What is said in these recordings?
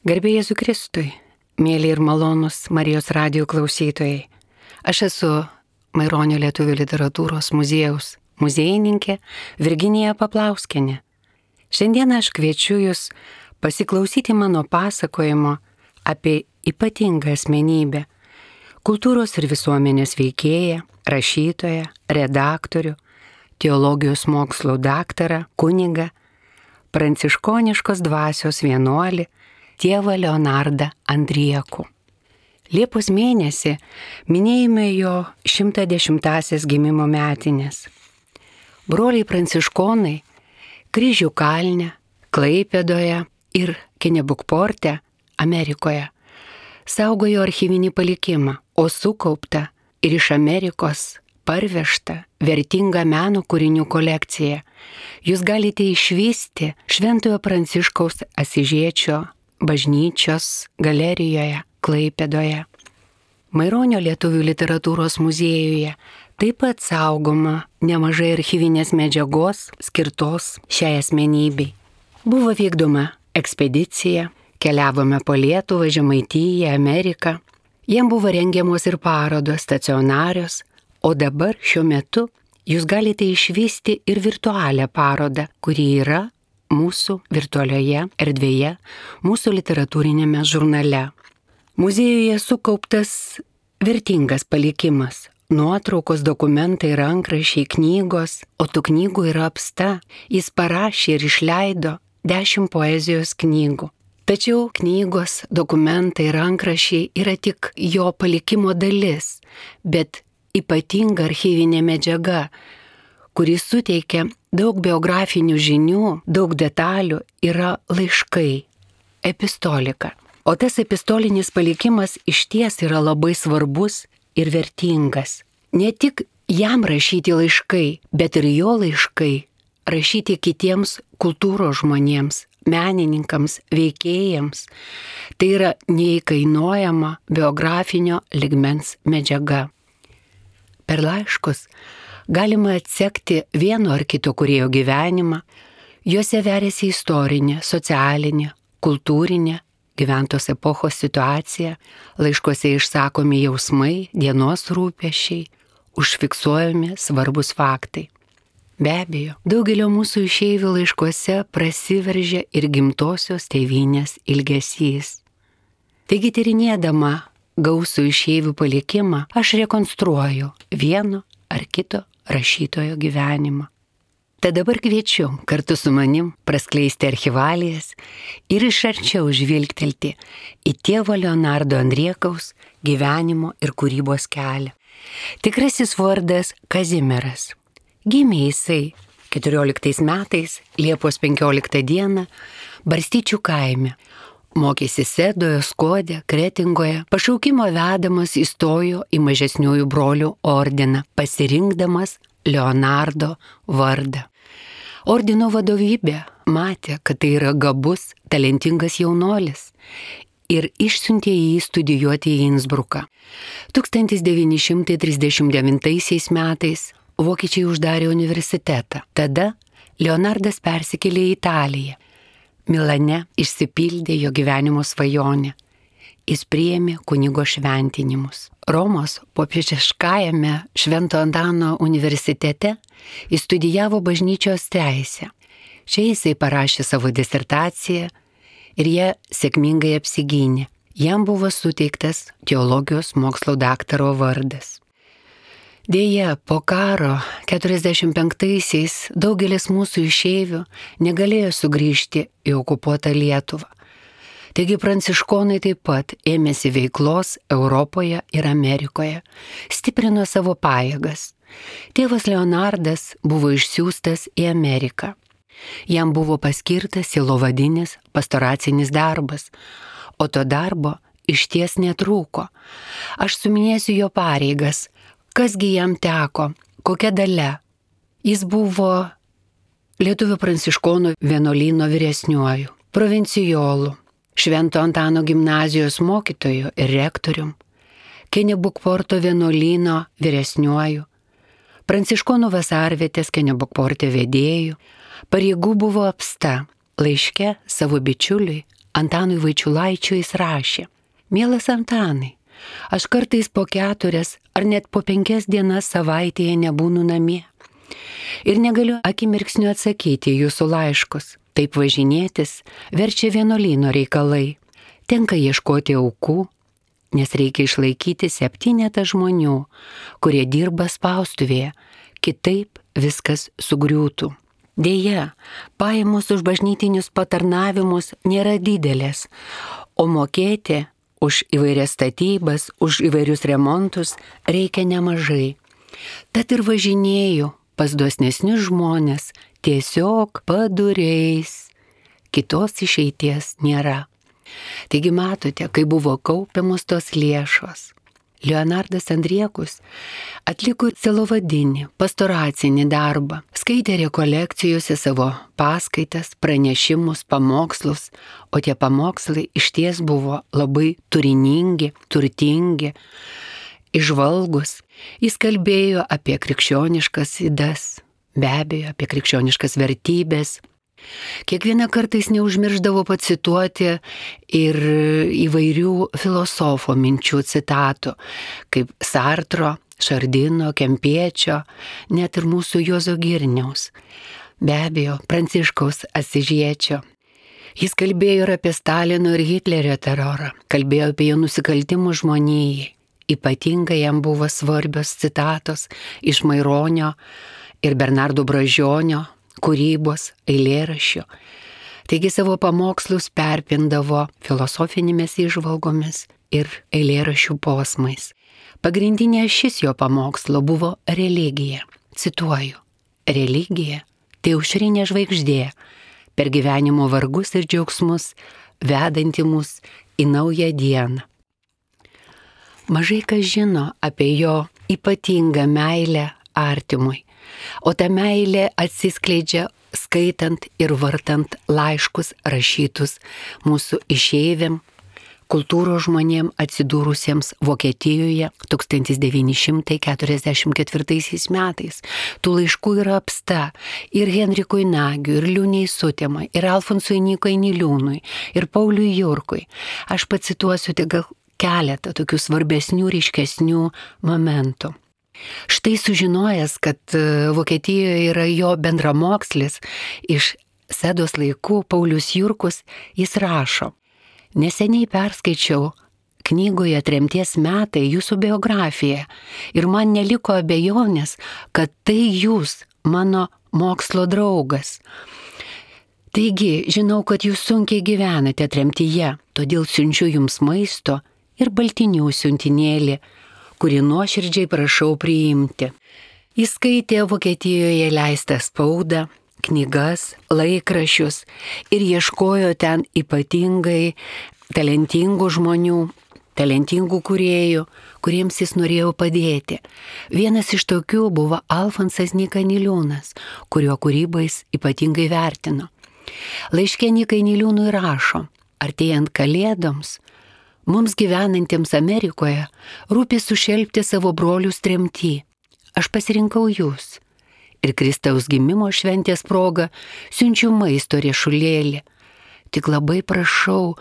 Garbė Jėzui Kristui, mėly ir malonus Marijos radijo klausytojai. Aš esu Maironio lietuvių literatūros muziejaus muziejininkė Virginija Paplauskienė. Šiandien aš kviečiu Jūs pasiklausyti mano pasakojimo apie ypatingą asmenybę, kultūros ir visuomenės veikėją, rašytoją, redaktorių, teologijos mokslų daktarą, kunigą, pranciškoniškos dvasios vienuolį, tėvą Leonardą Andriekų. Liepos mėnesį minėjome jo 110-asias gimimo metinės. Broliai pranciškonai Kryžių kalne, Klaipėdoje ir Kenebukporte, Amerikoje, saugojo archyvinį palikimą, o sukaupta ir iš Amerikos parvežta vertinga meno kūrinių kolekcija. Jūs galite išvysti Šventojo Pranciškaus Asyžiečio bažnyčios galerijoje Klaipėdoje. Maironio lietuvių literatūros muziejuje taip pat saugoma nemažai archyvinės medžiagos skirtos šiai asmenybei. Buvo vykdoma ekspedicija, keliavome po Lietuvą, Žemaitiją, Ameriką. Jiem buvo rengiamos ir parodos stacionarios, o dabar šiuo metu jūs galite išvysti ir virtualią parodą, kuri yra mūsų virtualioje erdvėje, mūsų literatūrinėme žurnale. Muziejuje sukauptas vertingas palikimas, nuotraukos, dokumentai, rankraščiai, knygos, o tų knygų yra apsta. Jis parašė ir išleido 10 poezijos knygų. Tačiau knygos, dokumentai, rankraščiai yra tik jo palikimo dalis, bet ypatinga archyvinė medžiaga, kuris suteikia daug biografinių žinių, daug detalių, yra laiškai, epistolika. O tas epistolinis palikimas išties yra labai svarbus ir vertingas. Ne tik jam rašyti laiškai, bet ir jo laiškai rašyti kitiems kultūros žmonėms, menininkams, veikėjams. Tai yra neįkainojama biografinio ligmens medžiaga. Per laiškus galima atsekti vieno ar kito kūrėjo gyvenimą, juose veriasi istorinė, socialinė, kultūrinė, gyventos epochos situacija, laiškuose išsakomi jausmai, dienos rūpesčiai, užfiksuojami svarbus faktai. Be abejo, daugelio mūsų išeivių laiškuose prasiveržia ir gimtosios tėvynės ilgesys. Taigi tyrinėdama gausų išeivių palikimą, aš rekonstruoju vieno ar kito rašytojo gyvenimą. Tad dabar kviečiu kartu su manim praskleisti archyvalijas ir iš arčiau žvilgtelti į tėvo Leonardo Andriekaus gyvenimo ir kūrybos kelią. Tikrasis vardas Kazimieras. Gimė jisai 14 metais, Liepos 15 dieną, Barstyčių kaime. Mokėsi Sedoje, Skode, Kretingoje, pašaukimo vedamas įstojo į mažesniųjų brolių ordiną, pasirinkdamas Leonardo vardą. Ordino vadovybė matė, kad tai yra gabus, talentingas jaunuolis ir išsiuntė jį studijuoti į Innsbruką. 1939 metais vokiečiai uždarė universitetą. Tada Leonardas persikėlė į Italiją. Milane išsipildė jo gyvenimo svajonė. Jis priėmė kunigo šventinimus. Romos popiežiškajame Švento Antano universitete jis studijavo bažnyčios teisę. Čia jisai parašė savo disertaciją ir ją sėkmingai apsigynė. Jam buvo suteiktas teologijos mokslo daktaro vardas. Deja, po karo 45-aisiais daugelis mūsų išeivių negalėjo sugrįžti į okupuotą Lietuvą. Taigi pranciškonai taip pat ėmėsi veiklos Europoje ir Amerikoje, stiprino savo pajėgas. Tėvas Leonardas buvo išsiųstas į Ameriką. Jam buvo paskirtas sielovadinis pastoracinis darbas, o to darbo išties netrūko. Aš suminėsiu jo pareigas. Kasgi jam teko, kokia dalia. Jis buvo lietuvių pranciškonų vienuolyno vyresniuoju, provincijolu, Švento Antano gimnazijos mokytoju ir rektorium, Kenebukporto vienuolyno vyresniuoju, pranciškonų vasarvietės Kenebukporte vedėju, pareigų buvo apsta. Laiške savo bičiuliui Antanui Vaičiulaičiui jis rašė: Mielas Antanai, aš kartais po 4 ar net po 5 dienas savaitėje nebūnu namie. Ir negaliu akimirksniu atsakyti jūsų laiškus. Taip važinėtis verčia vienuolyno reikalai. Tenka ieškoti aukų, nes reikia išlaikyti 7 žmonių, kurie dirba spaustuvėje, kitaip viskas sugriūtų. Deja, pajamos už bažnytinius patarnavimus nėra didelės, o mokėti už įvairias statybas, už įvairius remontus reikia nemažai. Tad ir važinėju pas dosnesnius žmonės, tiesiog paduriais. Kitos išeities nėra. Taigi matote, kai buvo kaupiamos tos lėšos. Leonardas Andriekus atliko sielovadinį, pastoracinį darbą, skaitė rekolekcijose savo paskaitas, pranešimus, pamokslus, o tie pamokslai išties buvo labai turiningi, turtingi, įžvalgus. Jis kalbėjo apie krikščioniškas idas, be abejo, apie krikščioniškas vertybės. Kiekvieną kartą jis neužmirždavo pacituoti ir įvairių filosofo minčių citatų, kaip Sartro, Šardino, Kempiečio, net ir mūsų Juozo Girniaus, be abejo, Pranciškaus Asyžiečio. Jis kalbėjo ir apie Stalino ir Hitlerio terorą, kalbėjo apie jo nusikaltimus žmonijai. Ypatingai jam buvo svarbios citatos iš Maironio ir Bernardo Bražionio kūrybos, eilėraščių. Taigi savo pamokslus perpindavo filosofinėmis įžvalgomis ir eilėraščių posmais. Pagrindinė šis jo pamokslo buvo religija. Cituoju: religija tai aušrinė žvaigždė, per gyvenimo vargus ir džiaugsmus, vedanti mus į naują dieną. Mažai kas žino apie jo ypatingą meilę artimui, o ta meilė atsiskleidžia skaitant ir vartant laiškus rašytus mūsų išeiviam, kultūros žmonėm atsidūrusiems Vokietijoje 1944 metais. Tų laiškų yra apsta ir Henrikui Nagiui, ir Liūnei Sutemai, ir Alfonsui Nykai Niliūnui, ir Pauliui Jurkui. Aš pacituosiu tik gal keletą tokių svarbesnių, ryškesnių momentų. Štai sužinojęs, kad Vokietijoje yra jo bendramokslis iš Sedos laikų, Paulius Jurkus, jis rašo: neseniai perskaičiau knygoje Tremties metai jūsų biografiją ir man neliko abejonės, kad tai jūs, mano mokslo draugas. Taigi, žinau, kad jūs sunkiai gyvenate tremtyje, todėl siunčiu jums maisto ir baltinių siuntinėlį, kurį nuoširdžiai prašau priimti. Jis skaitė Vokietijoje leistą spaudą, knygas, laikraščius ir ieškojo ten ypatingai talentingų žmonių, talentingų kūrėjų, kuriems jis norėjo padėti. Vienas iš tokių buvo Alfonsas Nyka Niliūnas, kurio kūrybą jis ypatingai vertino. Laiške Nykai Niliūnui rašo: artėjant kalėdoms, mums gyvenantiems Amerikoje rūpi sušelpti savo brolius tremty. Aš pasirinkau jūs ir Kristaus gimimo šventės proga siunčiu maisto riešulėlį. Tik labai prašau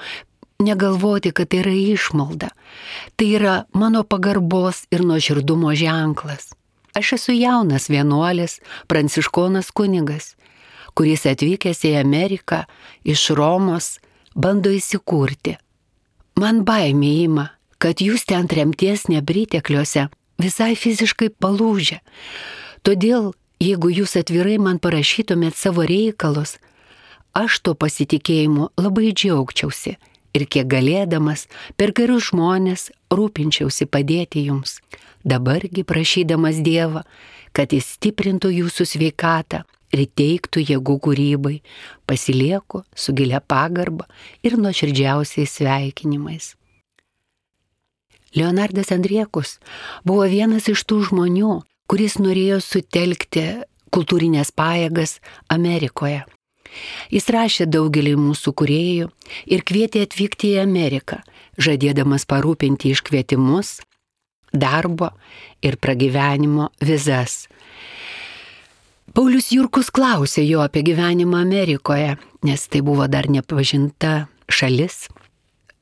negalvoti, kad tai yra išmalda. Tai yra mano pagarbos ir nuoširdumo ženklas. Aš esu jaunas vienuolis, pranciškonas kunigas, kuris atvykęs į Ameriką iš Romos bando įsikurti. Man baimė ima, kad jūs ten tremties nepritekliuose visai fiziškai palūžę. Todėl, jeigu jūs atvirai man parašytumėt savo reikalus, aš to pasitikėjimu labai džiaugčiausi ir kiek galėdamas per gerus žmonės rūpinčiausi padėti jums. Dabargi prašydamas Dievą, kad jis stiprintų jūsų sveikatą ir teiktų jėgų kūrybai, pasilieku su gilia pagarba ir nuoširdžiausiais sveikinimais. Leonardas Andriekus buvo vienas iš tų žmonių, kuris norėjo sutelkti kultūrinės pajėgas Amerikoje. Jis rašė daugelį mūsų kūrėjų ir kvietė atvykti į Ameriką, žadėdamas parūpinti iškvietimus, darbo ir pragyvenimo vizas. Paulius Jurkus klausė jo apie gyvenimą Amerikoje, nes tai buvo dar nepažinta šalis.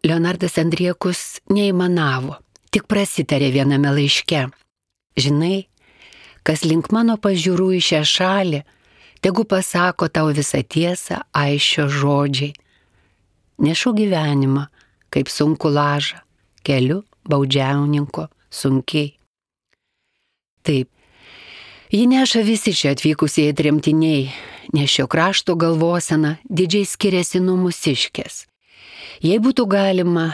Leonardas Andriekus neįmanavo, tik prasitarė viename laiške. Žinai, kas link mano pažiūrų į šią šalį, tegu pasako tau visą tiesą aišio žodžiai. Nešu gyvenimą, kaip sunku lažą, keliu baudžiauninko sunkiai. Taip, jį neša visi čia atvykusieji tremtiniai, nes šio krašto galvosena didžiai skiriasi nuo mūsiškės. Jei būtų galima,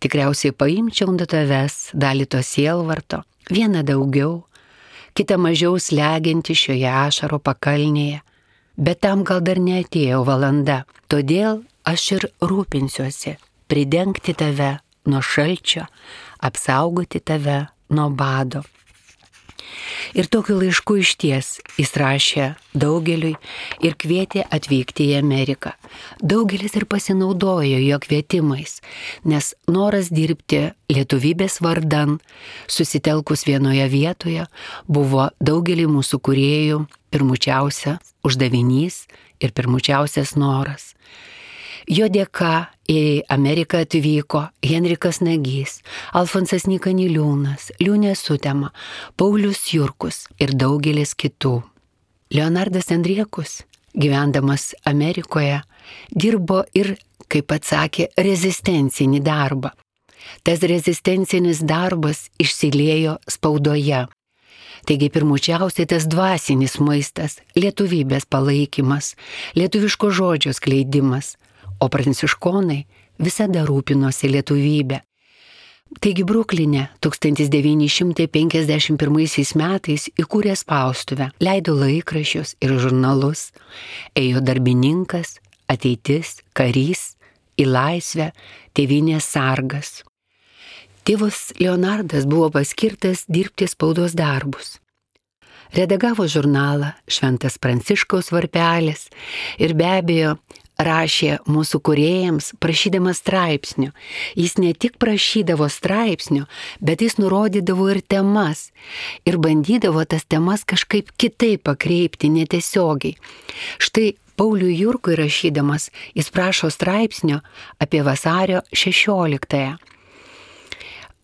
tikriausiai paimčiau nuo tavęs dalį to sielvarto, vieną daugiau, kitą mažiau slegianti šioje ašaro pakalnėje, bet tam gal dar neatėjo valanda, todėl aš ir rūpinsiuosi pridengti tave nuo šalčio, apsaugoti tave nuo bado. Ir tokiu laišku išties jis rašė daugeliui ir kvietė atvykti į Ameriką. Daugelis ir pasinaudojo jo kvietimais, nes noras dirbti lietuvybės vardan, susitelkus vienoje vietoje, buvo daugelį mūsų kūrėjų pirmučiausia uždavinys ir pirmučiausias noras. Jo dėka į Ameriką atvyko Henrikas Nagys, Alfonsas Nyka Niliūnas, Liūnė Sutema, Paulius Jurkus ir daugelis kitų. Leonardas Andriekus, gyvendamas Amerikoje, dirbo ir, kaip atsakė, rezistencinį darbą. Tas rezistencinis darbas išsiliejo spaudoje. Taigi pirmučiausiai tas dvasinis maistas, lietuvybės palaikymas, lietuviško žodžio skleidimas, o pranciškonai visada rūpinosi lietuvybę. Taigi Brukline 1951 metais įkūrė spaustuvę, leido laikraščius ir žurnalus, ėjo darbininkas, ateitis, karys, į laisvę, tėvynės sargas. Tėvas Leonardas buvo paskirtas dirbti spaudos darbus. Redagavo žurnalą Šventas Pranciškaus varpelis ir be abejo rašė mūsų kūrėjams, prašydamas straipsnių. Jis ne tik prašydavo straipsnių, bet jis nurodydavo ir temas. Ir bandydavo tas temas kažkaip kitaip pakreipti, netiesiogiai. Štai Pauliui Jurkui rašydamas, jis prašo straipsnio apie vasario 16-ąją.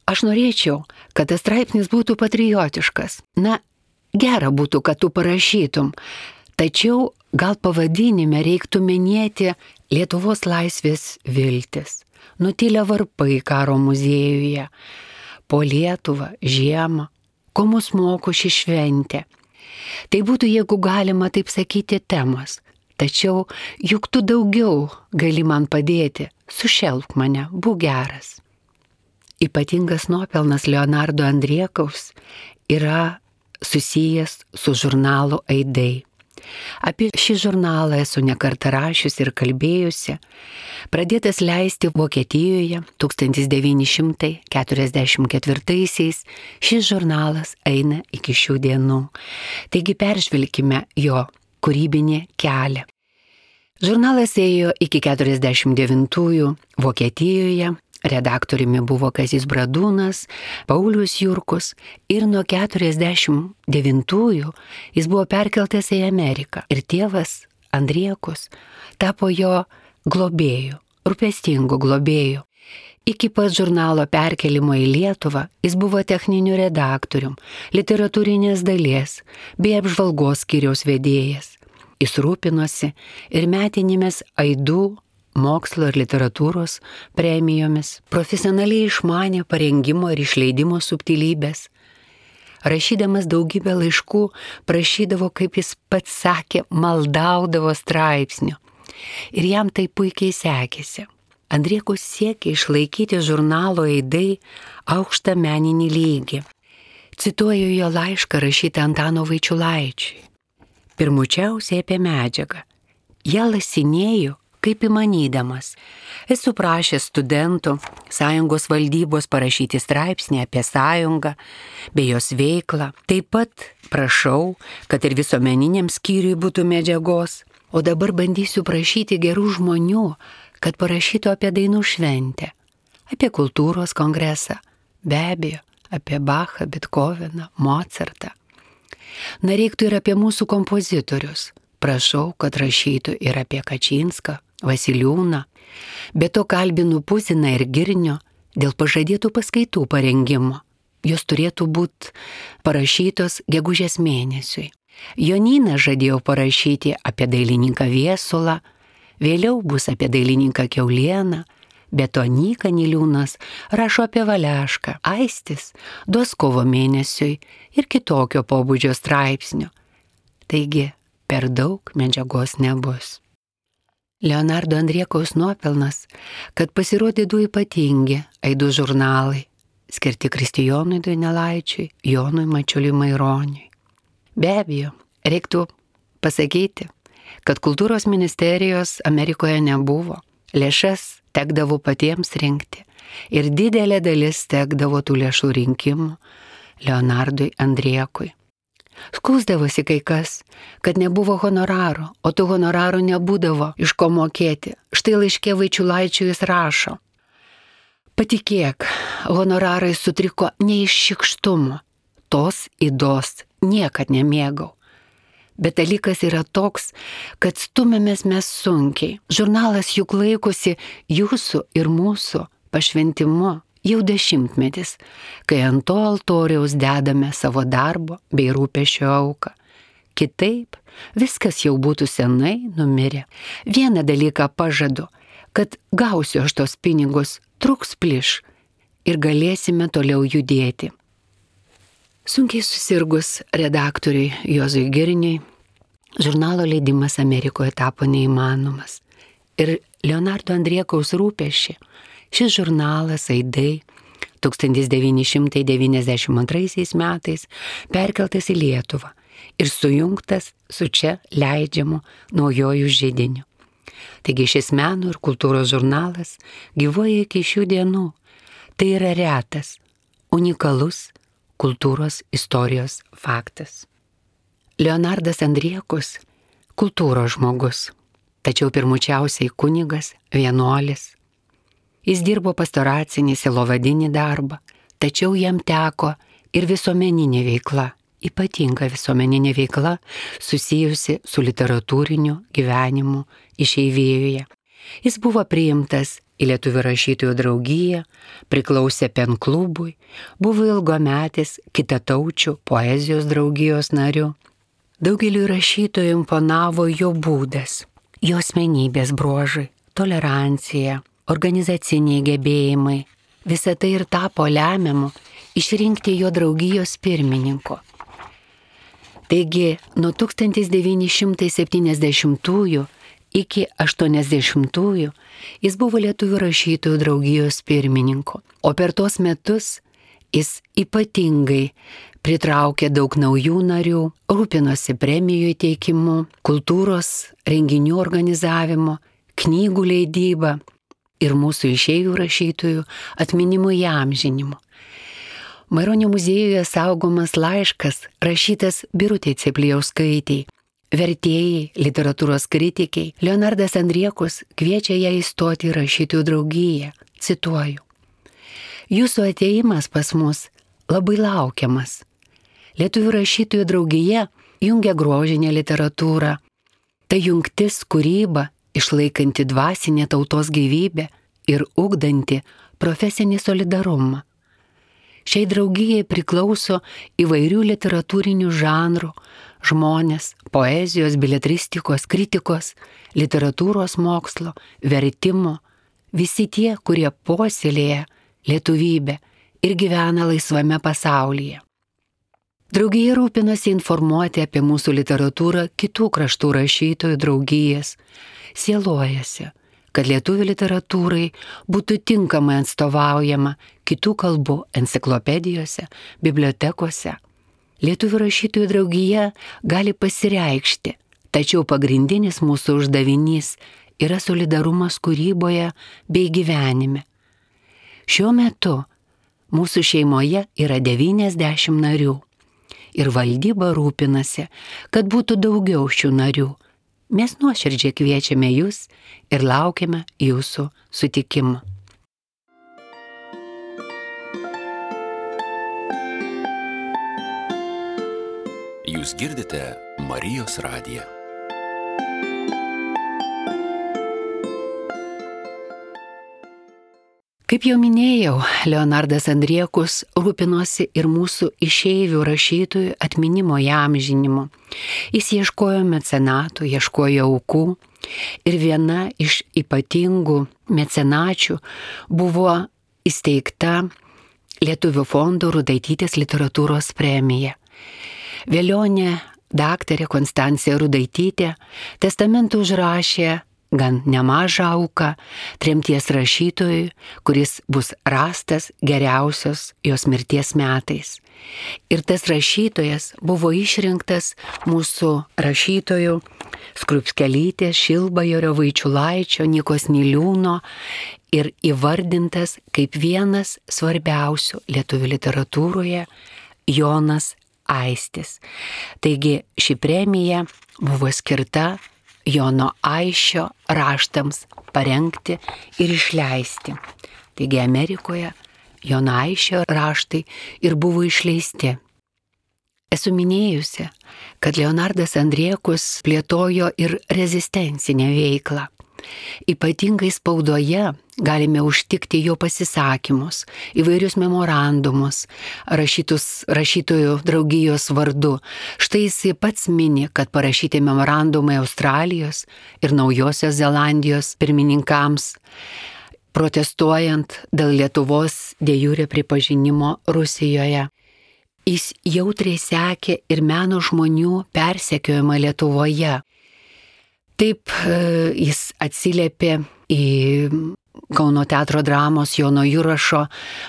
Aš norėčiau, kad tas straipsnis būtų patriotiškas. Na, gera būtų, kad tu parašytum. Tačiau gal pavadinime reiktų minėti Lietuvos laisvės viltis, nutilę varpai karo muziejuje, po Lietuvą, žiemą, ko mus moko ši šventė. Tai būtų, jeigu galima taip sakyti, temos. Tačiau juk tu daugiau gali man padėti, sušelk mane, būk geras. Ypatingas nuopelnas Leonardo Andriekaus yra susijęs su žurnalu Aidai. Apie šį žurnalą esu nekartą rašiusi ir kalbėjusi. Pradėtas leisti Vokietijoje 1944-aisiais, šis žurnalas eina iki šių dienų. Taigi peržvelkime jo kūrybinį kelią. Žurnalas ėjo iki 49-ųjų Vokietijoje. Redaktoriumi buvo Kazys Bradūnas, Paulius Jurkus ir nuo 49-ųjų jis buvo perkeltas į Ameriką. Ir tėvas Andriekus tapo jo globėju, rūpestingu globėju. Iki pat žurnalo perkelimo į Lietuvą jis buvo techniniu redaktorium, literatūrinės dalies bei apžvalgos skyriaus vedėjas. Jis rūpinosi ir metinėmis Aidų, mokslo ir literatūros premijomis, profesionaliai išmanė parengimo ir išleidimo subtilybės. Rašydamas daugybę laiškų, prašydavo, kaip jis pats sakė, maldaudavo straipsnių. Ir jam tai puikiai sekėsi. Andriekus siekė išlaikyti žurnalo Aidai aukštą meninį lygį. Cituoju jo laišką rašytą Antano Vaičiulaičiui. Pirmučiausiai apie medžiagą. Ją lasinėju, kaip įmanydamas. Esu prašęs studentų sąjungos valdybos parašyti straipsnį apie sąjungą bei jos veiklą. Taip pat prašau, kad ir visuomeniniam skyriui būtų medžiagos. O dabar bandysiu prašyti gerų žmonių, kad parašytų apie dainų šventę, apie kultūros kongresą, be abejo, apie Bachą, Bethoveną, Mozartą. Na, reiktų ir apie mūsų kompozitorius. Prašau, kad rašytų ir apie Kačinską, Vasiliūną, Be to kalbinu Puziną ir Girnio dėl pažadėtų paskaitų parengimo. Jos turėtų būti parašytos gegužės mėnesiui. Jonyną žadėjau parašyti apie dailininką Viesulą, vėliau bus apie dailininką Kiaulieną, be to Nyka Niliūnas rašo apie Valešką, Aistis duos kovo mėnesiui ir kitokio pobūdžio straipsnių. Taigi, per daug medžiagos nebus. Leonardo Andriekaus nuopelnas, kad pasirodė du ypatingi aidų žurnalai, skirti Kristijonui Donelaičiui, Jonui Mačiuliui Maironiui. Be abejo, reiktų pasakyti, kad kultūros ministerijos Amerikoje nebuvo, lėšas tekdavo patiems rinkti ir didelė dalis tekdavo tų lėšų rinkimų Leonardui Andriekui. Skųsdavosi kai kas, kad nebuvo honoraro, o tų honorarų nebūdavo iš ko mokėti. Štai laiške Vaičiulaičiui jis rašo: patikėk, honorarai sutriko ne iš šykštumo, tos ydos niekad nemėgau. Bet dalykas yra toks, kad stumėmės mes sunkiai. Žurnalas juk laikosi jūsų ir mūsų pašventimu jau 10-metis, kai ant to altoriaus dedame savo darbo bei rūpesčio auką. Kitaip viskas jau būtų senai numirę. Vieną dalyką pažadu, kad gausiu aš tos pinigus, truks plyš ir galėsime toliau judėti. Sunkiai susirgus redaktoriui Juozui Girniui, žurnalo leidimas Amerikoje tapo neįmanomas. Ir Leonardo Andriekaus rūpesčiai šis žurnalas Aidai 1992 metais perkeltas į Lietuvą ir sujungtas su čia leidžiamu Naujuoju židiniu. Taigi šis meno ir kultūros žurnalas gyvuoja iki šių dienų. Tai yra retas, unikalus kultūros istorijos faktas. Leonardas Andriekus – kultūros žmogus, tačiau pirmučiausiai kunigas, vienuolis. Jis dirbo pastoracinį silovadinį darbą, tačiau jam teko ir visuomeninė veikla, ypatinga visuomeninė veikla susijusi su literatūriniu gyvenimu išeivijoje. Jis buvo priimtas į Lietuvių rašytojų draugiją, priklausė PEN klubui, buvo ilgametis kitataučių poezijos draugijos nariu. Daugeliui rašytojų imponavo jo būdas, jo asmenybės bruožai, tolerancija, organizaciniai gebėjimai. Visa tai ir tapo lemiamu išrinkti jo draugijos pirmininko. Taigi, nuo 1970 iki 80 jis buvo Lietuvių rašytojų draugijos pirmininku, o per tos metus jis ypatingai pritraukė daug naujų narių, rūpinosi premijų įteikimu, kultūros renginių organizavimu, knygų leidyba ir mūsų išeivių rašytojų atminimo įamžinimu. Maironio muziejuje saugomas laiškas rašytas Birutei Cėplijauskaitei, vertėjai, literatūros kritikiai. Leonardas Andriekus kviečia ją įstoti į rašytojų draugiją. Cituoju: jūsų atėjimas pas mus labai laukiamas. Lietuvių rašytojų draugija jungia grožinę literatūrą. Tai jungtis kūryba, išlaikanti dvasinę tautos gyvybę ir ugdanti profesinį solidarumą. Šiai draugijai priklauso įvairių literatūrinių žanrų žmonės, poezijos, beletristikos, kritikos, literatūros mokslo, vertimo, visi tie, kurie puoselėja lietuvybę ir gyvena laisvame pasaulyje. Draugija rūpinasi informuoti apie mūsų literatūrą kitų kraštų rašytojų draugijas, sielojasi, kad lietuvių literatūrai būtų tinkamai atstovaujama kitų kalbų enciklopedijose, bibliotekose. Lietuvių rašytojų draugija gali pasireikšti, tačiau pagrindinis mūsų uždavinys yra solidarumas kūryboje bei gyvenime. Šiuo metu mūsų šeimoje yra 90 narių ir valdyba rūpinasi, kad būtų daugiau šių narių. Mes nuoširdžiai kviečiame jūs ir laukiame jūsų sutikimo. Jūs girdite Marijos radiją. Kaip jau minėjau, Leonardas Andriekus rūpinosi ir mūsų išeivių rašytojų atminimo įamžinimu. Jis ieškojo mecenatų, ieškojo aukų ir viena iš ypatingų mecenačių buvo įsteigta Lietuvių fondo Rudaitytės literatūros premija. Vėlionė daktarė Konstancija Rudaitytė testamentu užrašė gan nemažą auką tremties rašytojui, kuris bus rastas geriausios jos mirties metais. Ir tas rašytojas buvo išrinktas mūsų rašytojų Skrupskelytės, Šilbajorio, Vaičiulaičio, Nykos Niliūno ir įvardintas kaip vienas svarbiausių lietuvių literatūroje Jonas Aistis. Taigi ši premija buvo skirta Jono Aisčio raštams parengti ir išleisti. Taigi Amerikoje Jono Aisčio raštai ir buvo išleisti. Esu minėjusi, kad Leonardas Andriekus plėtojo ir rezistencinę veiklą. Ypatingai spaudoje galime užtikti jo pasisakymus, įvairius memorandumus, rašytus rašytojų draugijos vardu. Štai jis pats mini, kad parašyti memorandumai Australijos ir Naujosios Zelandijos pirmininkams, protestuojant dėl Lietuvos de jure pripažinimo Rusijoje. Jis jautriai sekė ir meno žmonių persekiojimą Lietuvoje. Taip jis atsiliepė į Kauno teatro dramos Jono Jurašo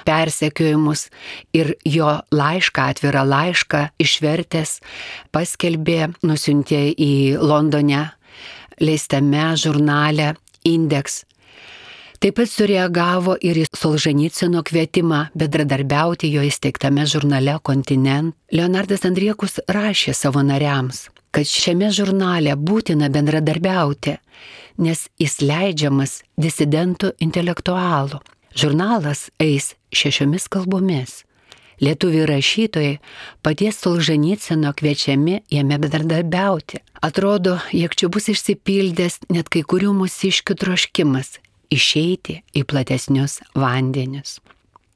persekiojimus ir jo laišką, atvirą laišką išvertęs paskelbė, nusiuntė į Londone leistame žurnale Index. Taip pat sureagavo ir į Solženicyno kvietimą bendradarbiauti jo įsteigtame žurnale Kontinent. Leonardas Andriekus rašė savo nariams, kad šiame žurnale būtina bendradarbiauti, nes jis leidžiamas disidentų intelektualų. Žurnalas eis 6 kalbomis. Lietuvių rašytojai paties Solženicyno kviečiami jame bendradarbiauti. Atrodo, jog čia bus išsipildęs net kai kurių mūsiškių troškimas išeiti į platesnius vandenius.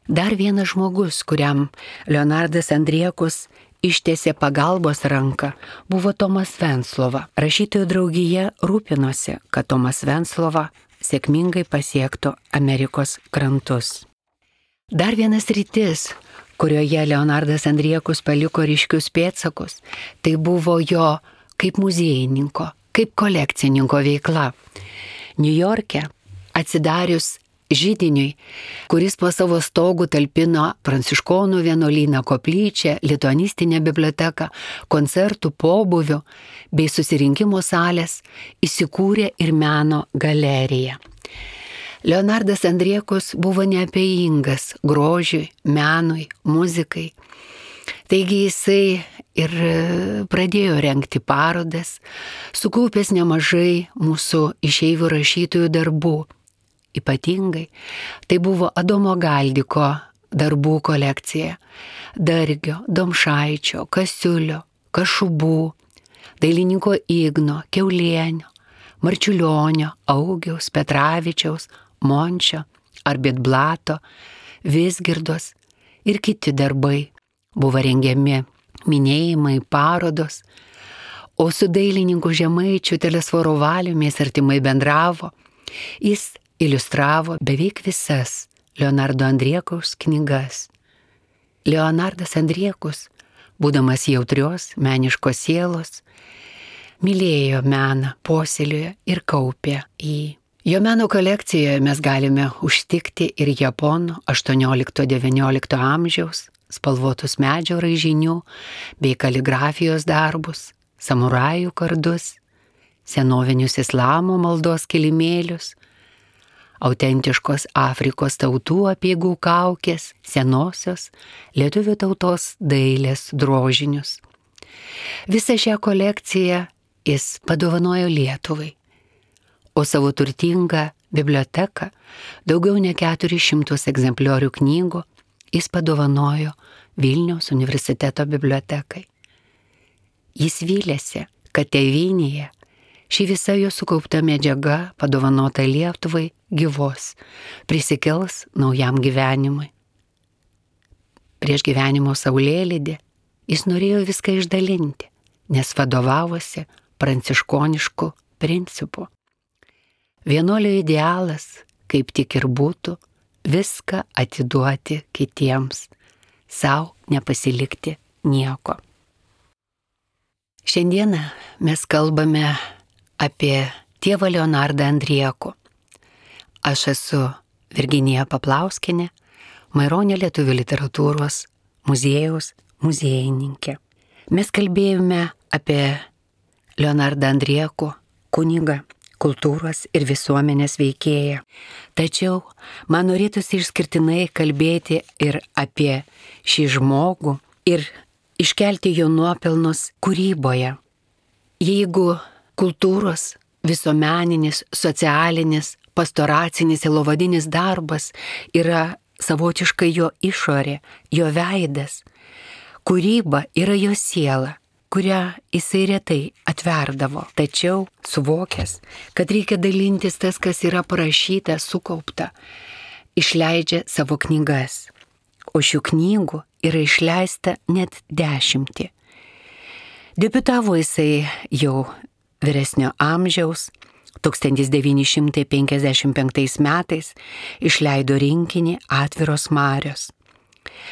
Dar vienas žmogus, kuriam Leonardas Andriekus ištiesė pagalbos ranką, buvo Tomas Venclova. Rašytojų draugija rūpinosi, kad Tomas Venclova sėkmingai pasiektų Amerikos krantus. Dar vienas sritis, kurioje Leonardas Andriekus paliko ryškius pėdsakus, tai buvo jo kaip muziejininko, kaip kolekcininko veikla. Niujorke atsidarius židiniui, kuris po savo stogų talpino pranciškonų vienuolyną, koplyčią, lituanistinę biblioteką, koncertų pobūvių bei susirinkimo salės, įsikūrė ir meno galerija. Leonardas Andriekus buvo neabejingas grožiui, menui, muzikai. Taigi jisai ir pradėjo rengti parodas, sukaupęs nemažai mūsų išeivių rašytojų darbų. Ypatingai tai buvo Adomo Galdiko darbų kolekcija, Dargio, Domšaičio, Kasiulio, Kašubų, dailininko Igno, Kiaulienio, Marčiulionio, Augiaus, Petravičiaus, Mončio, Arbitblato, Vizgirdos ir kiti darbai. Buvo rengiami minėjimai, parodos, o su dailininku Žemaičiu Telesforo Valiumi artimai bendravo. Jis iliustravo beveik visas Leonardo Andriekaus knygas. Leonardas Andriekus, būdamas jautrios, meniškos sielos, mylėjo meną, puoselėjo ir kaupė jį. Jo meno kolekcijoje mes galime užtikti ir japonų 18-19 amžiaus spalvotus medžio raižinių bei kaligrafijos darbus, samurajų kardus, senovinius islamo maldos kilimėlius, autentiškos Afrikos tautų apeigų kaukės, senosios lietuvių tautos dailės drožinius. Visą šią kolekciją jis padovanojo Lietuvai, o savo turtingą biblioteką, daugiau nei 400 egzempliorių knygų, jis padovanojo Vilniaus universiteto bibliotekai. Jis vylėsi, kad tėvynėje ši visa jo sukaupta medžiaga, padovanota Lietuvai, gyvos, prisikels naujam gyvenimui. Prieš gyvenimo saulėlydį jis norėjo viską išdalinti, nes vadovavosi pranciškonišku principu. Vienuolio idealas, kaip tik ir būtų, viską atiduoti kitiems, sau nepasilikti nieko. Šiandieną mes kalbame apie tėvą Leonardą Andriekų. Aš esu Virginija Paplauskienė, Maironio lietuvių literatūros muziejaus muziejininkė. Mes kalbėjome apie Leonardą Andriekų, kunigą, kultūros ir visuomenės veikėją. Tačiau man norėtųsi išskirtinai kalbėti ir apie šį žmogų ir iškelti jo nuopelnus kūryboje. Jeigu kultūros, visuomeninis, socialinis, pastoracinis ir lovadinis darbas yra savotiškai jo išorė, jo veidas, kūryba yra jo siela, kurią jisai retai atverdavo. Tačiau suvokęs, kad reikia dalintis tas, kas yra parašyta, sukaupta, išleidžia savo knygas. O šių knygų yra išleista net 10. Debiutavo jisai jau vyresnio amžiaus, 1955 metais išleido rinkinį Atviros marios.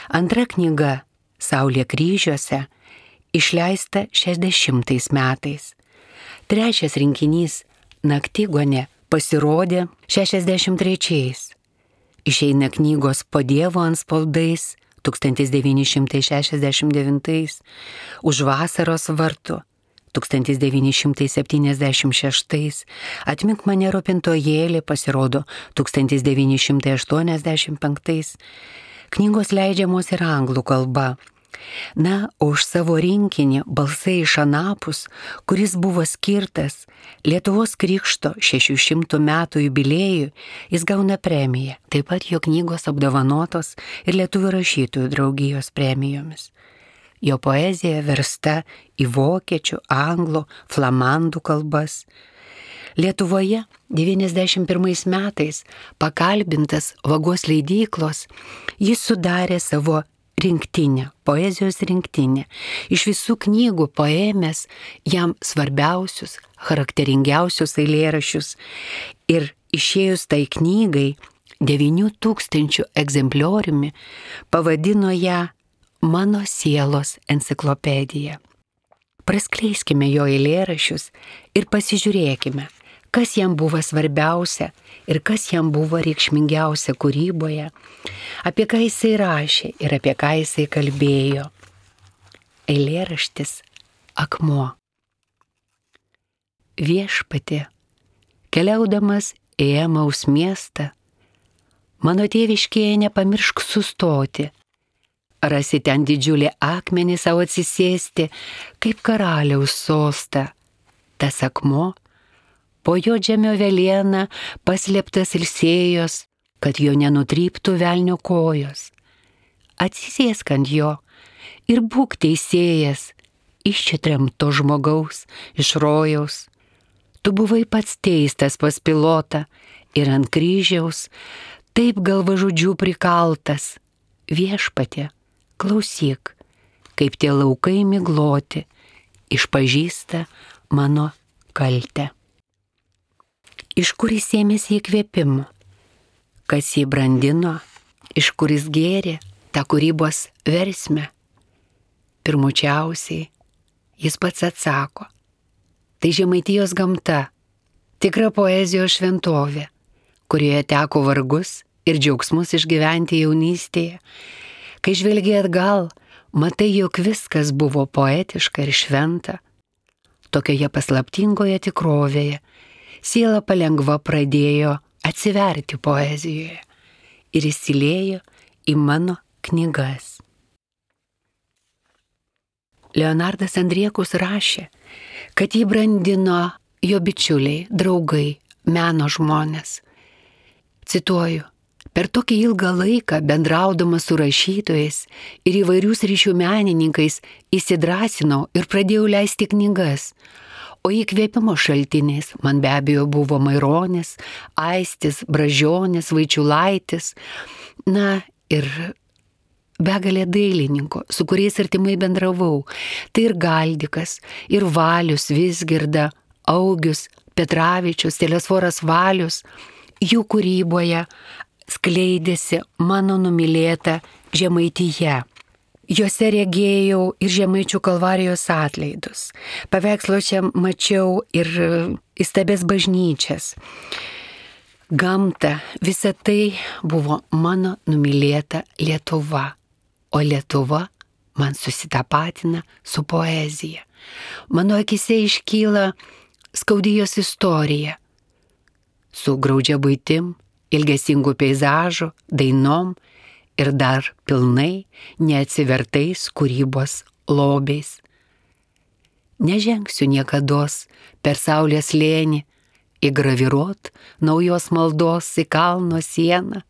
Antra knyga Saulė kryžiuose išleista 60 metais. Trečias rinkinys Naktigonė pasirodė 63. Išeina knygos Po Dievo antspaudais 1969, Už vasaros vartų 1976, Atmink mane rūpintojėlį pasirodo 1985. Knygos leidžiamos ir anglų kalba. Na, o už savo rinkinį Balsai iš anapus, kuris buvo skirtas Lietuvos krikšto 600 metų jubiliejui, jis gauna premiją. Taip pat jo knygos apdovanotos ir Lietuvių rašytojų draugijos premijomis. Jo poezija versta į vokiečių, anglų, flamandų kalbas. Lietuvoje 91 metais pakalbintas Vagos leidyklos, jis sudarė savo rinktinę, poezijos rinktinę. Iš visų knygų paėmęs jam svarbiausius, charakteringiausius eilėraščius ir išėjus tai knygai 9000 egzemplioriumi pavadino ją Mano sielos enciklopedija. Praskleiskime jo eilėraščius ir pasižiūrėkime, kas jam buvo svarbiausia ir kas jam buvo reikšmingiausia kūryboje, apie ką jisai rašė ir apie ką jisai kalbėjo. Eilėraštis Akmuo. Viešpatie, keliaudamas į Emaus miestą, mano tėviškėje nepamiršk sustoti. Rasi ten didžiulį akmenį savo atsisėsti, kaip karaliaus sostą. Tas akmuo, po jo žemio velėna paslėptas ilsėjos, kad jo nenutryptų velnio kojos. Atsisėsk ant jo ir būk teisėjas, iščitremto žmogaus iš rojaus. Tu buvai pats teistas pas Pilotą ir ant kryžiaus, taip galvažudžių prikaltas. Viešpatie, klausyk, kaip tie laukai migloti išpažįsta mano kaltę. Iš kur jis ėmėsi įkvėpimo, kas jį brandino, iš kur jis gėrė tą kūrybos versmę. Pirmučiausiai jis pats atsako, tai Žemaitijos gamta, tikra poezijos šventovė, kurioje teko vargus ir džiaugsmus išgyventi jaunystėje. Kai žvelgi atgal, matai, jog viskas buvo poetiška ir šventa. Tokioje paslaptingoje tikrovėje siela palengva pradėjo atsiverti poezijoje ir įsiliejo į mano knygas. Leonardas Andriekus rašė, kad jį brandino jo bičiuliai, draugai, meno žmonės. Cituoju, per tokį ilgą laiką bendraudamas su rašytojais ir įvairių sričių menininkais įsidrasinau ir pradėjau leisti knygas, O įkvėpimo šaltiniais man be abejo buvo Maironis, Aistis, Bražionis, Vaičiulaitis, na ir begalė dailininkų, su kuriais artimai bendravau. Tai ir Galdikas, ir Valius, Vizgirda, Augius, Petravičius, Telesforas Valius. Jų kūryboje skleidėsi mano numylėta Žemaitija. Juose regėjau ir Žemaičių Kalvarijos atlaidus. Paveiksluose mačiau ir įstabias bažnyčias. Gamta, visa tai buvo mano numylėta Lietuva. O Lietuva man susitapatina su poezija. Mano akise iškyla skaudijos istorija. Su graudžia buitim, ilgesingų peizažų, dainom ir dar pilnai neatsivertais kūrybos lobiais. Nežengsiu niekados per saulės slėnį, įgraviruot naujos maldos į kalno sieną.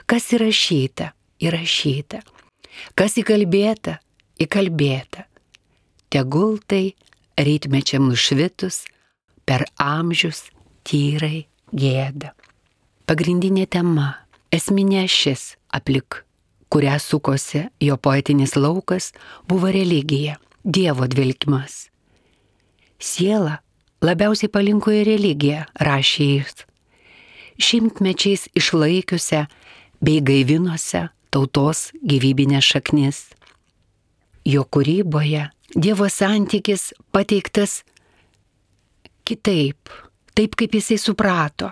Kas įrašyta, įrašyta. Kas įkalbėta, įkalbėta. Tegul tai rytmečiam nušvitus per amžius tyrai gėda. Pagrindinė tema, esminė šis aplik, kurią sukosi jo poetinis laukas, buvo religija, Dievo dvelkimas. Siela labiausiai palinko į religiją, rašė jis, šimtmečiais išlaikiusią bei gaivinusią tautos gyvybinės šaknis. Jo kūryboje Dievo santykis pateiktas kitaip, taip kaip jisai suprato.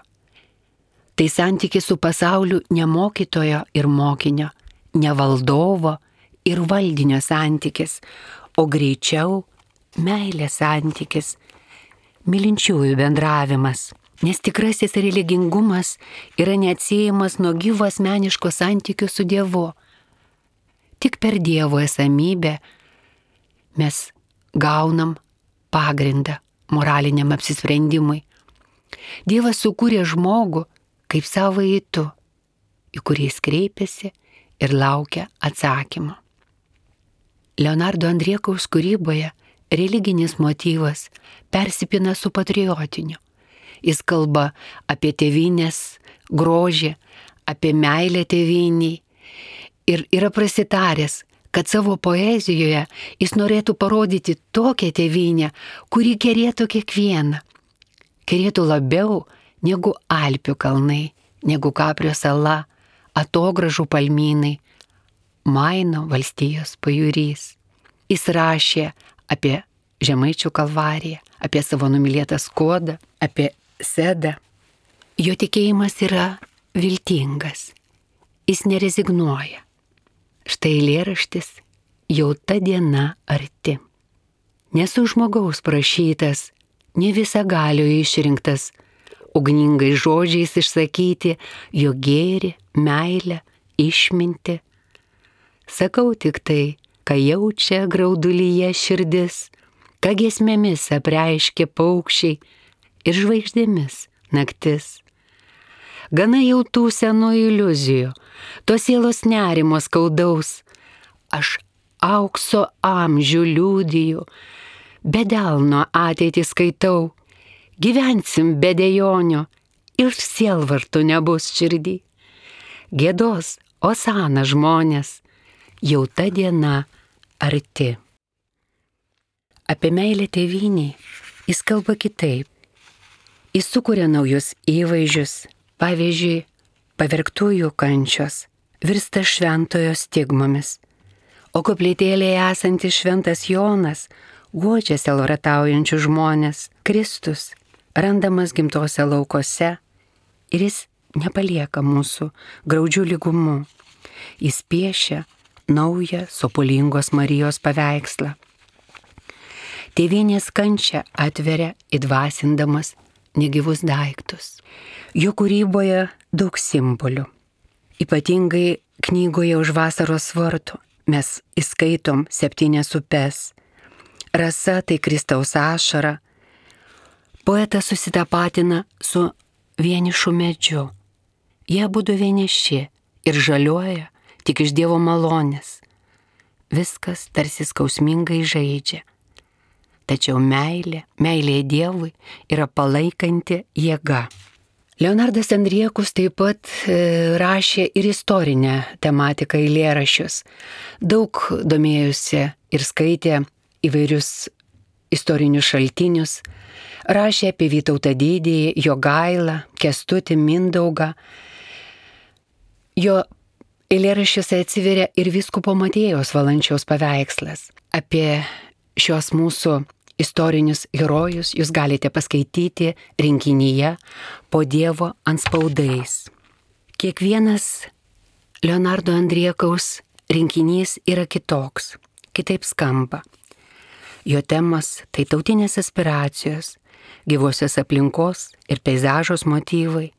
Tai santykis su pasauliu ne mokytojo ir mokinio, ne valdovo ir valdinio santykis, o greičiau meilės santykis, mylinčiųjų bendravimas. Nes tikrasis religingumas yra neatsiejamas nuo gyvo asmeniško santykio su Dievu. Tik per Dievo esamybę mes gaunam pagrindą moraliniam apsisprendimui. Dievas sukūrė žmogų kaip savąjį tu, į kurį jis kreipiasi ir laukia atsakymo. Leonardo Andriekaus kūryboje religinis motyvas persipina su patriotiniu. Jis kalba apie tėvynės grožį, apie meilę tėvyniai ir yra prasitaręs, kad savo poezijoje jis norėtų parodyti tokią tėvynę, kuri kerėtų kiekvieną. Kerėtų labiau negu Alpių kalnai, negu Kaprio sala, Atogražų palmynai, Maino valstijos pajūrys. Jis rašė apie Žemaičių Kalvariją, apie savo numylėtą Skuodą, apie Sedą. Jo tikėjimas yra viltingas. Jis nerezignuoja. Štai eilėraštis jau ta diena arti. Nesu žmogaus prašytas, ne visagalio išrinktas, ugningai žodžiais išsakyti jo gėrį, meilę, išmintį. Sakau tik tai, ką jaučia graudulyje širdis, ką giesmėmis apreiškia paukščiai ir žvaigždėmis naktis. Gana jau tų senų iliuzijų, tos sielos nerimo skaudaus, aš aukso amžių liudiju, be delno ateitį skaitau, gyvensim be dejonių ir sielvartų nebus širdį. Gėdos osana žmonės, jau ta diena arti. Apie meilę tėvyniai jis kalba kitaip. Jis sukuria naujus įvaizdžius, pavyzdžiui, pavergtųjų kančios virsta šventojo stigmomis, o koplytėlėje esantis šventas Jonas guodžia sielvartaujančių žmonės. Kristus randamas gimtose laukose ir jis nepalieka mūsų graudžių lygumų. Jis piešia naują sopulingos Marijos paveikslą. Tėvynės kančią atveria įdvasindamas negyvus daiktus. Jo kūryboje daug simbolių. Ypatingai knygoje Už vasaros vartų mes įskaitom 7 upes. Rasa tai Kristaus ašara. Poetas susitapatina su vienišu medžiu. Jie abudu vieniši ir žaliuoja tik iš Dievo malonės. Viskas tarsi skausmingai žaidžia. tačiau meilė Dievui yra palaikanti jėga. Leonardas Andriekus taip pat rašė ir istorinę tematiką eilėraščius. Daug domėjusi ir skaitė įvairius istorinius šaltinius. Rašė apie Vytautą Didįjį, Jogailą, Kęstutį, Mindaugą. Jo eilėraščiuose atsiveria ir vyskupo Matiejaus Valančiaus paveikslas. Apie šios mūsų istorinius herojus jūs galite paskaityti rinkinyje Po Dievo antspaudais. Kiekvienas Leonardo Andriekaus rinkinys yra kitoks, kitaip skamba. Jo temos tai tautinės aspiracijos, gyvosios aplinkos ir peizažos motyvai,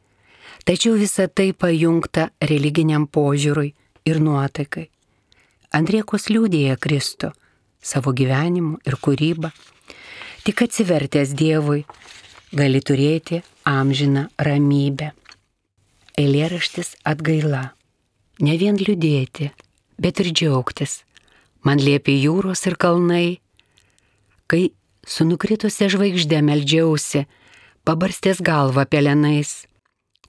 tačiau visa tai pajungta religiniam požiūriui ir nuotaikai. Andriekus liudija Kristų savo gyvenimu ir kūryba. Tik atsivertęs Dievui gali turėti amžiną ramybę. Eilėraštis Atgaila. Ne vien liūdėti, bet ir džiaugtis. Man liepė jūros ir kalnai, kai su nukritusia žvaigžde meldžiausi, pabarstęs galvą pelenais.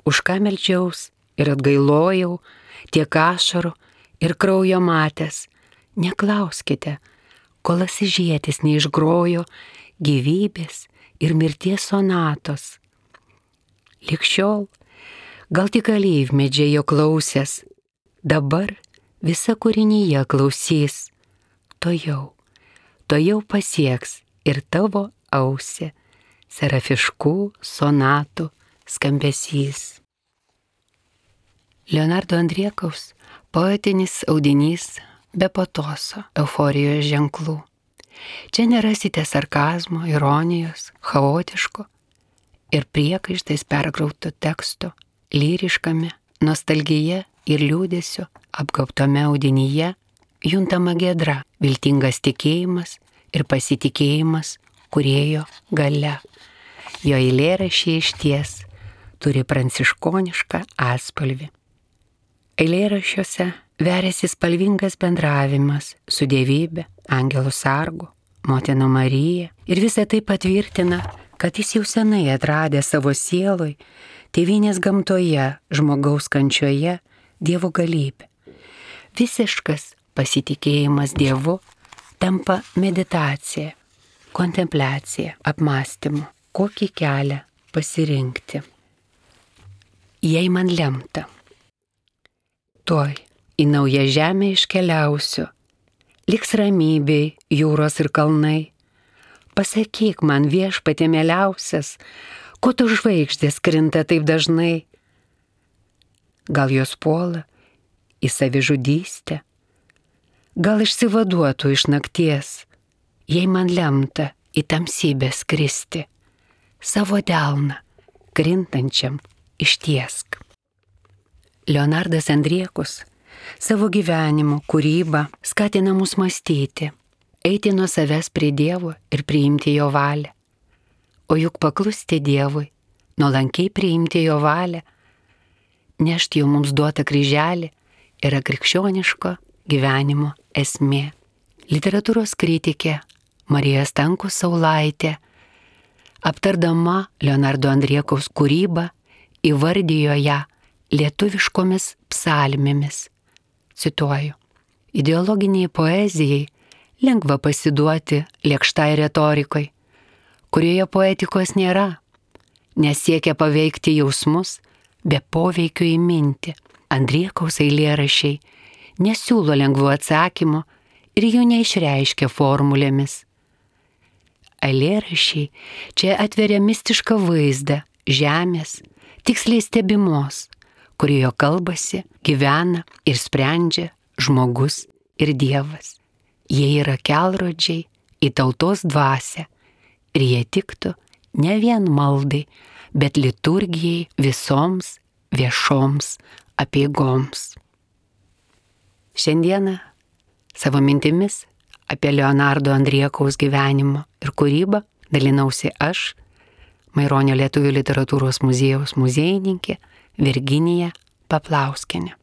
Už ką meldžiaus ir atgailojau, tiek ašarų ir kraujo matęs. Neklauskite, kol Asyžietis neišgrojo gyvybės ir mirties sonatos. Ligšiol, gal tik alyvmedžiai jo klausęs, dabar visa kūrinyje klausys. Tojau pasieks ir tavo ausį serafiškų sonatų skambesys. Leonardo Andriekaus poetinis audinys be patoso, euforijos ženklų. Čia nerasite sarkazmo, ironijos, chaotiško ir priekaištais perkrauto teksto, lyriškame, nostalgija ir liūdėsio apgaubtame audinyje juntama giedra, viltingas tikėjimas ir pasitikėjimas kūrėjo galia. Jo eilėraščiai išties turi pranciškonišką atspalvį. Eilėraščiuose veriasi spalvingas bendravimas su Dievybe, Angelu Sargu, Motina Marija ir visą tai patvirtina, kad jis jau senai atradė savo sieloj, tėvynės gamtoje, žmogaus kančioje, Dievo galybę. Visiškas pasitikėjimas Dievu tampa meditacija, kontempliacija, apmąstymu, kokį kelią pasirinkti. Jei man lemta, tuoj į naują žemę iškeliausiu, liks ramybei jūros ir kalnai. Pasakyk man, Viešpatie mieliausias, ko tu žvaigždės krinta taip dažnai? Gal jos puola į savižudystę, gal išsivaduotų iš nakties, jei man lemta į tamsybę skristi, savo delną krintančiam ištiesk. Leonardas Andriekus savo gyvenimu, kūrybą skatina mus mąstyti, eiti nuo savęs prie Dievo ir priimti jo valią. O juk paklusti Dievui, nuolankiai priimti jo valią, nešti jau mums duotą kryželį yra krikščioniško gyvenimo esmė. Literatūros kritikė Marija Stankus Saulaitė, aptardama Leonardo Andriekaus kūrybą, įvardijo ją lietuviškomis psalmėmis. Cituoju: ideologiniai poezijai lengva pasiduoti lėkštai retorikai, kurioje poetikos nėra, nes siekia paveikti jausmus be poveikio į mintį. Andriekaus eilėraščiai nesiūlo lengvų atsakymų ir jų neišreiškia formulėmis. Eilėraščiai čia atveria mistišką vaizdą žemės, tiksliai stebimos, kurioje kalbasi, gyvena ir sprendžia žmogus ir Dievas. Jie yra kelrodžiai į tautos dvasią ir jie tiktų ne vien maldai, bet liturgijai visoms viešoms apeigoms. Šiandieną savo mintimis apie Leonardo Andriekaus gyvenimo ir kūrybą dalinausi aš, Maironio lietuvių literatūros muziejaus muziejininkė Virginija Paplauskienė.